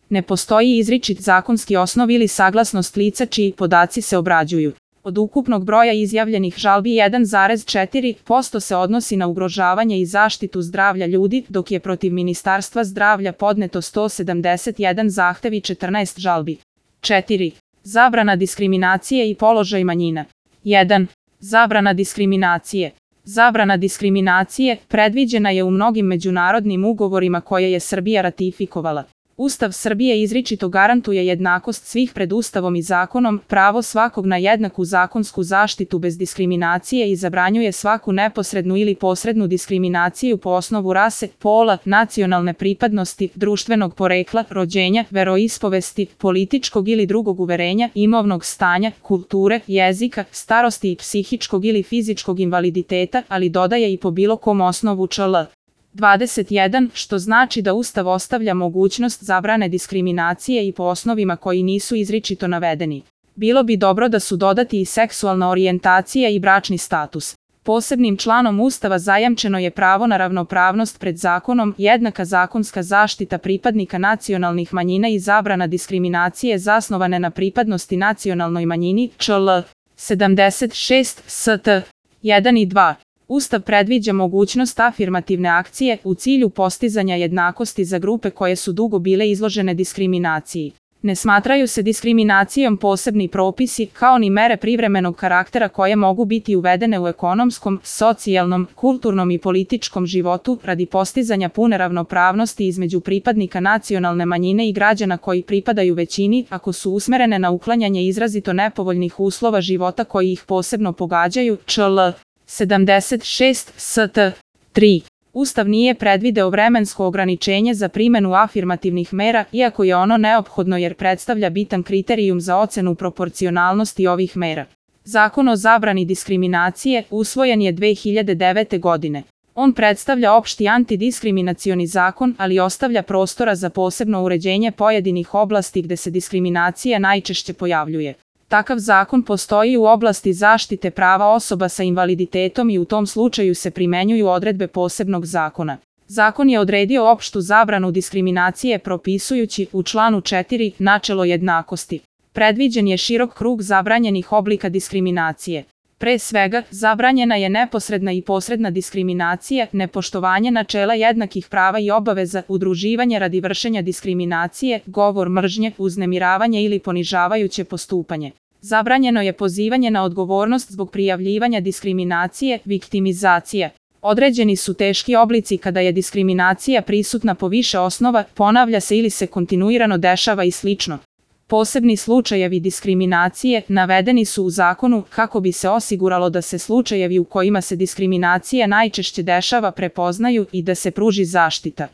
Ne postoji izričit zakonski osnov ili saglasnost lica čiji podaci se obrađuju. Od ukupnog broja izjavljenih žalbi 1,4% se odnosi na ugrožavanje i zaštitu zdravlja ljudi, dok je protiv Ministarstva zdravlja podneto 171 zahtev i 14 žalbi. 4. Zabrana diskriminacije i položaj manjina. 1. Zabrana diskriminacije. Zabrana diskriminacije predviđena je u mnogim međunarodnim ugovorima koje je Srbija ratifikovala. Ustav Srbije izričito garantuje jednakost svih pred Ustavom i zakonom, pravo svakog na jednaku zakonsku zaštitu bez diskriminacije i zabranjuje svaku neposrednu ili posrednu diskriminaciju po osnovu rase, pola, nacionalne pripadnosti, društvenog porekla, rođenja, veroispovesti, političkog ili drugog uverenja, imovnog stanja, kulture, jezika, starosti i psihičkog ili fizičkog invaliditeta, ali dodaje i po bilo kom osnovu čl. 21, što znači da Ustav ostavlja mogućnost zabrane diskriminacije i po osnovima koji nisu izričito navedeni. Bilo bi dobro da su dodati i seksualna orijentacija i bračni status. Posebnim članom Ustava zajamčeno je pravo na ravnopravnost pred zakonom, jednaka zakonska zaštita pripadnika nacionalnih manjina i zabrana diskriminacije zasnovane na pripadnosti nacionalnoj manjini, čl. 76 st. 1 i 2. Ustav predviđa mogućnost afirmativne akcije u cilju postizanja jednakosti za grupe koje su dugo bile izložene diskriminaciji. Ne smatraju se diskriminacijom posebni propisi, kao ni mere privremenog karaktera koje mogu biti uvedene u ekonomskom, socijalnom, kulturnom i političkom životu radi postizanja pune ravnopravnosti između pripadnika nacionalne manjine i građana koji pripadaju većini, ako su usmerene na uklanjanje izrazito nepovoljnih uslova života koji ih posebno pogađaju, čl. 76 st. 3. Ustav nije predvideo vremensko ograničenje za primenu afirmativnih mera, iako je ono neophodno jer predstavlja bitan kriterijum za ocenu proporcionalnosti ovih mera. Zakon o zabrani diskriminacije usvojen je 2009. godine. On predstavlja opšti antidiskriminacioni zakon, ali ostavlja prostora za posebno uređenje pojedinih oblasti gde se diskriminacija najčešće pojavljuje. Takav zakon postoji u oblasti zaštite prava osoba sa invaliditetom i u tom slučaju se primenjuju odredbe posebnog zakona. Zakon je odredio opštu zabranu diskriminacije propisujući u članu 4 načelo jednakosti. Predviđen je širok krug zabranjenih oblika diskriminacije. Pre svega, zabranjena je neposredna i posredna diskriminacija, nepoštovanje načela jednakih prava i obaveza, udruživanje radi vršenja diskriminacije, govor mržnje, uznemiravanje ili ponižavajuće postupanje. Zabranjeno je pozivanje na odgovornost zbog prijavljivanja diskriminacije, viktimizacija. Određeni su teški oblici kada je diskriminacija prisutna po više osnova, ponavlja se ili se kontinuirano dešava i slično. Posebni slučajevi diskriminacije navedeni su u zakonu kako bi se osiguralo da se slučajevi u kojima se diskriminacija najčešće dešava prepoznaju i da se pruži zaštita.